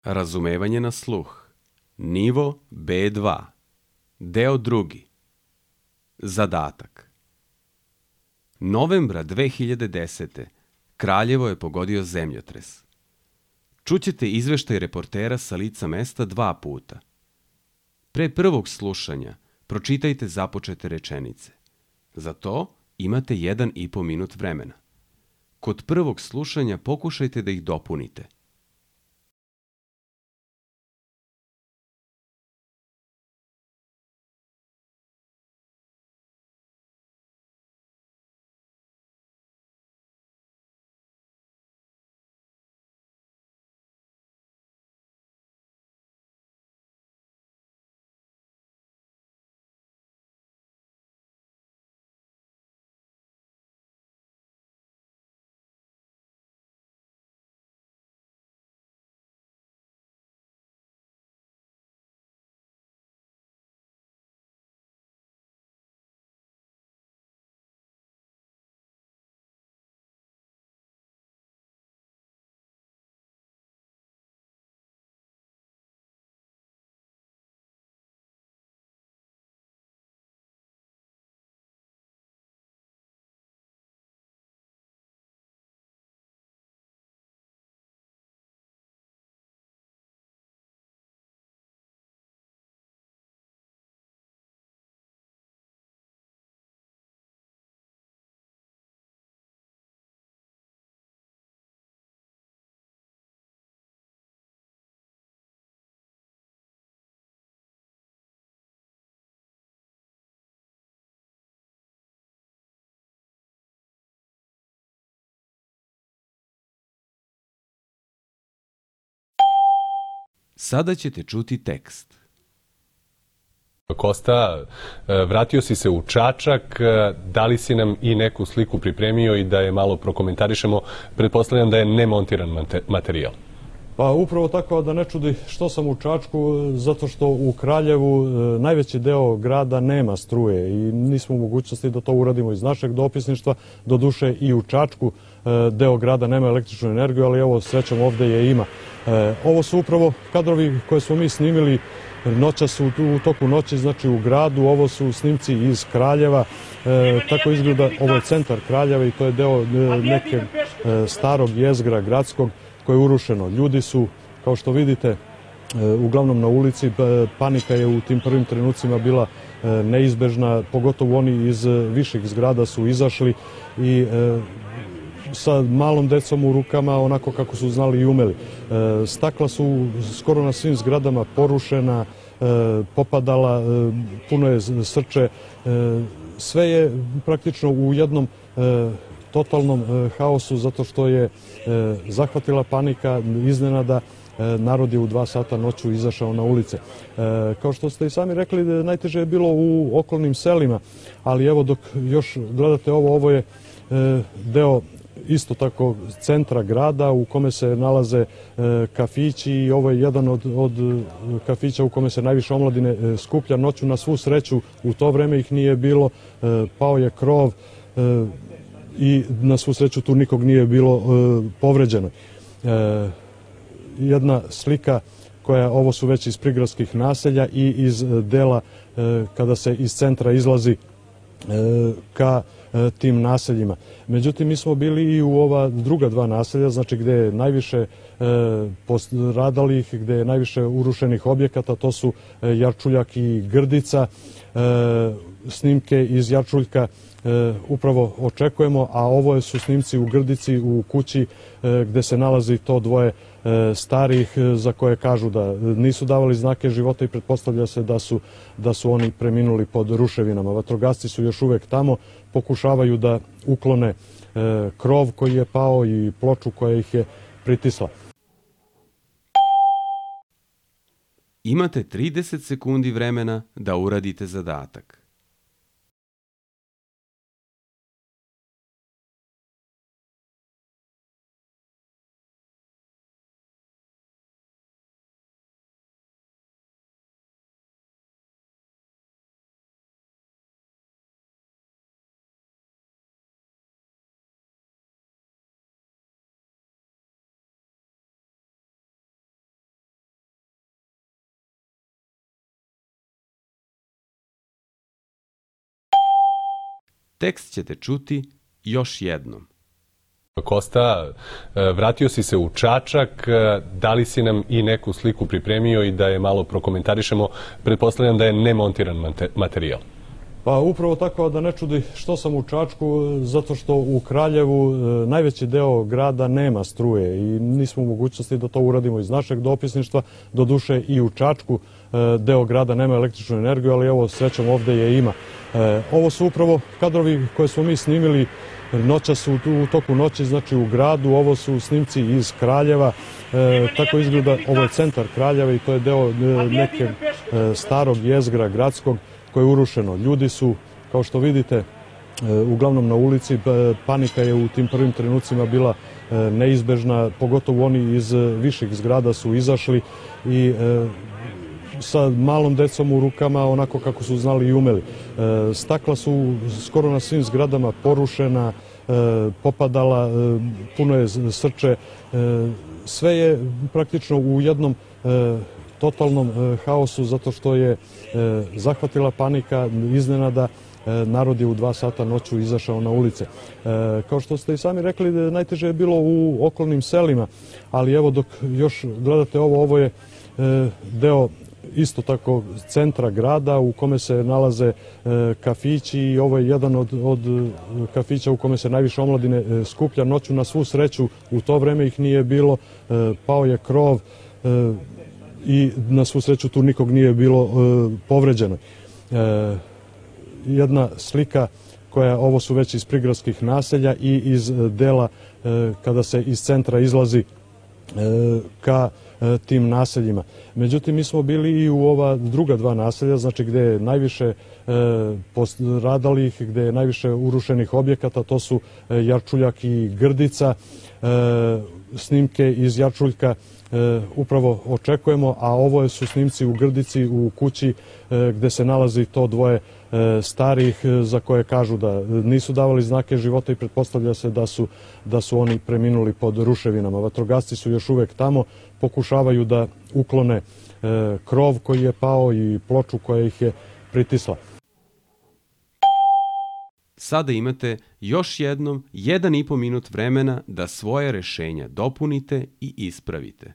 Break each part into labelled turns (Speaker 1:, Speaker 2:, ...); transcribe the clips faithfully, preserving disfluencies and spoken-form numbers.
Speaker 1: Razumevanje na sluh. Nivo B dva. Deo drugi. Zadatak. Novembra dve hiljade desete. Kraljevo je pogodio zemljotres. Čućete izveštaj reportera sa lica mesta dva puta. Pre prvog slušanja pročitajte započete rečenice. Za to imate jedan i po minut vremena. Kod prvog slušanja pokušajte da ih dopunite. Sada ćete čuti tekst.
Speaker 2: Kosta, vratio si se u Čačak, da li si nam i neku sliku pripremio i da je malo prokomentarišemo? Pretpostavljam da je nemontiran materijal.
Speaker 3: Pa upravo tako, da ne čudi što sam u Čačku, zato što u Kraljevu najveći deo grada nema struje i nismo u mogućnosti da to uradimo iz našeg dopisništva. Doduše i u Čačku deo grada nema električnu energiju, ali evo srećom ovde je ima. Ovo su upravo kadrovi koje smo mi snimili noćas u, u toku noći, znači u gradu. Ovo su snimci iz Kraljeva. E, tako izgleda, ovo je centar Kraljeva i to je deo e, neke e, starog jezgra gradskog koje je urušeno. Ljudi su, kao što vidite, e, uglavnom na ulici. E, panika je u tim prvim trenucima bila e, neizbežna, pogotovo oni iz viših zgrada su izašli i e, sa malom decom u rukama, onako kako su znali i umeli. E, stakla su skoro na svim zgradama porušena, e, popadala, e, puno je srče. E, sve je praktično u jednom e, totalnom e, haosu, zato što je e, zahvatila panika, iznenada. E, narod je u dva sata noću izašao na ulice. E, kao što ste i sami rekli, najteže je bilo u okolnim selima, ali evo dok još gledate ovo, ovo je e, deo isto tako centra grada u kome se nalaze e, kafići i ovo je jedan od, od kafića u kome se najviše omladine e, skuplja noću. Na svu sreću u to vreme ih nije bilo, e, pao je krov e, i na svu sreću tu nikog nije bilo e, povređeno. E, jedna slika koja, ovo su već iz prigradskih naselja i iz dela e, kada se iz centra izlazi e, ka tim naseljima. Međutim, mi smo bili i u ova druga dva naselja, znači gde je najviše e, postradalih, gde je najviše urušenih objekata, to su e, Jarčuljak i Grdica. E, snimke iz Jarčuljka e, upravo očekujemo, a ovo su snimci u Grdici, u kući e, gde se nalazi to dvoje e, starih e, za koje kažu da nisu davali znake života i pretpostavlja se da su, da su oni preminuli pod ruševinama. Vatrogasci su još uvek tamo, pokušavaju da uklone e, krov koji je pao i ploču koja ih je pritisla.
Speaker 1: Imate trideset sekundi vremena da uradite zadatak. Tekst ćete čuti još jednom.
Speaker 2: Kosta, vratio si se u Čačak, da li si nam i neku sliku pripremio i da je malo prokomentarišemo? Pretpostavljam da je nemontiran materijal.
Speaker 3: Pa upravo tako, da ne čudi što sam u Čačku, zato što u Kraljevu najveći deo grada nema struje i nismo u mogućnosti da to uradimo iz našeg dopisništva. Doduše i u Čačku deo grada nema električnu energiju, ali evo srećom ovde je ima. Ovo su upravo kadrovi koje smo mi snimili noća su u toku noći, znači u gradu. Ovo su snimci iz Kraljeva. E, tako izgleda, ovo je centar Kraljeva i to je deo e, neke e, starog jezgra gradskog koje je urušeno. Ljudi su, kao što vidite, e, uglavnom na ulici. E, panika je u tim prvim trenucima bila e, neizbežna, pogotovo oni iz viših zgrada su izašli i e, sa malom decom u rukama, onako kako su znali i umeli. E, stakla su skoro na svim zgradama porušena, e, popadala, e, puno je srče. E, sve je praktično u jednom e, totalnom e, haosu, zato što je e, zahvatila panika, iznenada. E, narod je u dva sata noću izašao na ulice. E, kao što ste i sami rekli, najteže je bilo u okolnim selima, ali evo dok još gledate ovo, ovo je e, deo isto tako centra grada u kome se nalaze e, kafići i ovo je jedan od, od kafića u kome se najviše omladine e, skuplja noću. Na svu sreću u to vreme ih nije bilo, e, pao je krov e, i na svu sreću tu nikog nije bilo e, povređeno. E, jedna slika koja, ovo su već iz prigradskih naselja i iz dela e, kada se iz centra izlazi e, ka tim naseljima. Međutim, mi smo bili i u ova druga dva naselja, znači gde je najviše e, postradalih, gde je najviše urušenih objekata, to su e, Jarčuljak i Grdica. E, snimke iz Jarčuljka e, upravo očekujemo, a ovo su snimci u Grdici, u kući e, gde se nalazi to dvoje e, starih e, za koje kažu da nisu davali znake života i pretpostavlja se da su, da su oni preminuli pod ruševinama. Vatrogasci su još uvek tamo, pokušavaju da uklone e, krov koji je pao i ploču koja ih je pritisla.
Speaker 1: Sada imate još jednom jedan i po minut vremena da svoje rešenja dopunite i ispravite.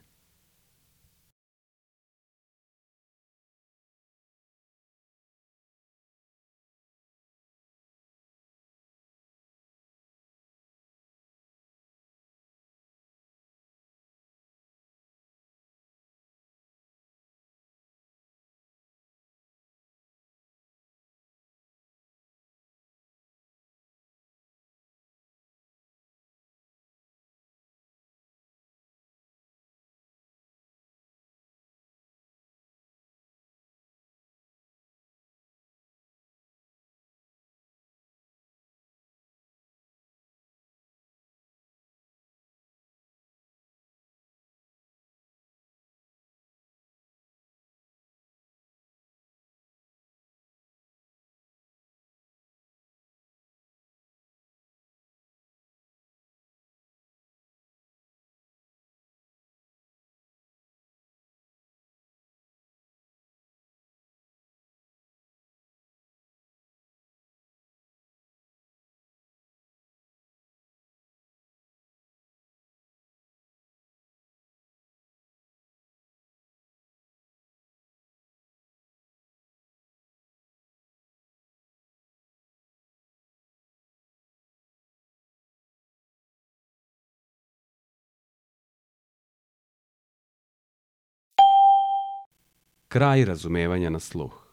Speaker 1: Kraj razumevanja na sluh.